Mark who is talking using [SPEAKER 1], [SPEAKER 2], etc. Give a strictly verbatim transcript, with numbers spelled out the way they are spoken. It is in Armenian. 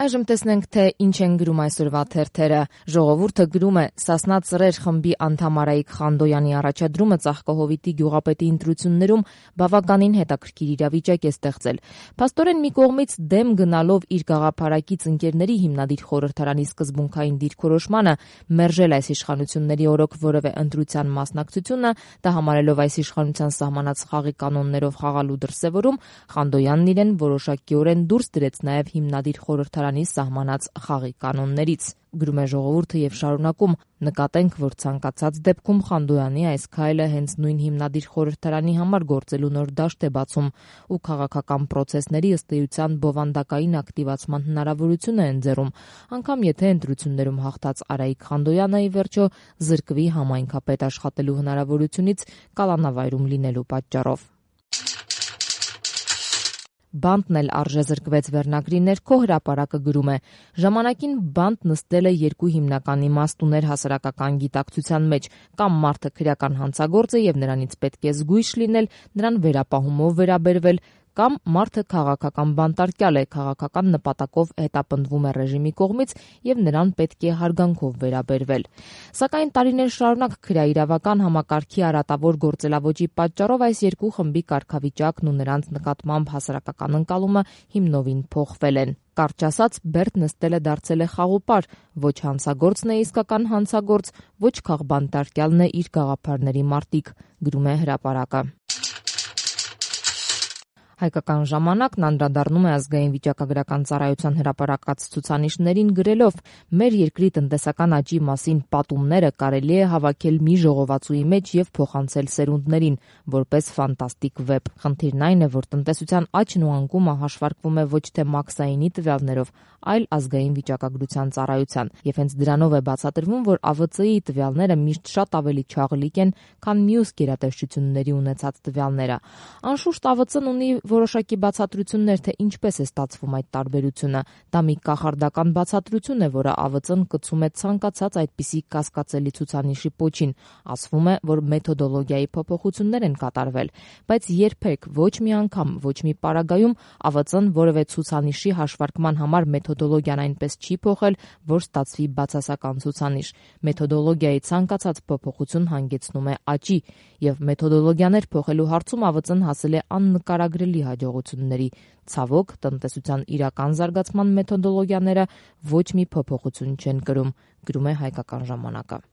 [SPEAKER 1] Այժմ տեսնենք, թե ինչ են գրում այսօրվա թերթերը։ Ժողովուրդը գրում է՝ Սասնա Ծռեր խմբի անդամ Արայիկ Խանդոյանի առաջադրումը Ծաղկահովիտի գյուղապետի ընտրություններում բավականին հետաքրքիր իրավիճակ է ստեղծել։ Փաստորեն մի կողմից դեմ գնալով իր գաղափարակից ընկերների հիմնադիր խորհրդարանի սկզբունքային դիրքորոշմանը մերժել այս իշխանությունների օրոք որևէ ընտրության մասնակցությունը, դա համարելով այս իշխանության սահմանած խաղի կանոններով խաղալու դրսևորում, Խանդոյանն իրեն որոշակիորեն դուրս դրեց նաև հիմնադիր խորհրդարանի սահմանած խաղի կանոններից։ Գրում է Ժողովուրդը եւ շարունակում. նկատենք, որ ցանկացած դեպքում Խանդոյանի այս քայլը հենց նույն հիմնադիր խորհրդարանի համար գործելու նոր դաշտ է բացում ու քաղաքական պրոցեսների ըստ էության բովանդակային ակտիվացման հնարավորություն է ընձեռում, անգամ եթե ընտրություններում հաղթած Արայիկ Խանդոյանը ի վերջո զրկվի համայնքապետ աշխատելու հնարավորությունից կալանավայրում լինելու պատճառով։ Բանտն էլ արժեզրկվեց վերնագրի ներքո հրապարակը գրում է. ժամանակին բանտ նստել է երկու հիմնական իմաստ ուներ հասարակական գիտակցության մեջ, կամ մարդը քրեական հանցագործ է եւ նրանից պետք է զգույշ լինել, նրան վերապահումով վերաբերվել, կամ մարդը քաղաքական բանտարկյալ է, քաղաքական նպատակով հետապնդվում է ռեժիմի կողմից եւ նրան պետք է հարգանքով վերաբերվել։ Սակայն տարիներ շարունակ քրեաիրավական համակարգի արատավոր գործելավոճի պատճառով այս երկու խմբի կարգավիճակն ու նրանց նկատմամբ հասարակական ընկալումը հիմնովին փոխվել են։ Կարճ ասած, Բերտ նստելը դարձել է խաղոպար, ոչ հանցագործն է իսկական հանցագործ, ոչ քաղբանտարկյալն է իր գաղափարների մարտիկ, գրում է հրապարակը։ Հայկական ժամանակն անդրադառնում է ազգային վիճակագրական ծառայության հրապարակած ցուցանիշներին գրելով. մեր երկրի տնտեսական աճի մասին պատումները կարելի է հավաքել մի ժողովածուի մեջ եւ փոխանցել սերունդներին, որպես ֆանտաստիկ վեպ։ Խնդիրն այն է, որ տնտեսության աճն ու անկումը հաշվարկվում է ոչ թե մաքսայինի տվյալներով, այլ ազգային վիճակագրության ծառայության, եւ հենց դրանով է բացատրվում, որ A V C-ի տվյալները միշտ շատ ավելի չաղլիկ են, քան մյուս գերատեսչությունների ունեցած տվյալները։ Անշուշտ A V C-ն ունի որոշակի բացատրություններ, թե ինչպես է ստացվում այդ տարբերությունը։ Դա մի կախարդական բացատրություն է, որը A V C-ն կցում է ցանկացած այդպիսի կասկածելի ցուցանիշի պոչին։ Ասվում է, որ մեթոդոլոգիայի փոփոխություններ են կատարվել, բայց երբեք ոչ մի անգամ, ոչ մի պարագայում A V C-ն որևէ ցուցանիշի հաշվարկման համար մեթոդոլոգիան այնպես չի փոխել, որ ստացվի բացասական ցուցանիշ։ Մեթոդոլոգիայի ցանկացած փոփոխություն հանգեցնում է աճի, եւ մեթոդոլոգիաներ փոխելու հարցում A V C-ն հասել է աննկարագրելի հաջողությունների։ Ցավոք, տնտեսության իրական զարգացման մեթոդոլոգիաները ոչ մի փոփոխություն չեն կրում, գրում է Հայկական ժամանակը։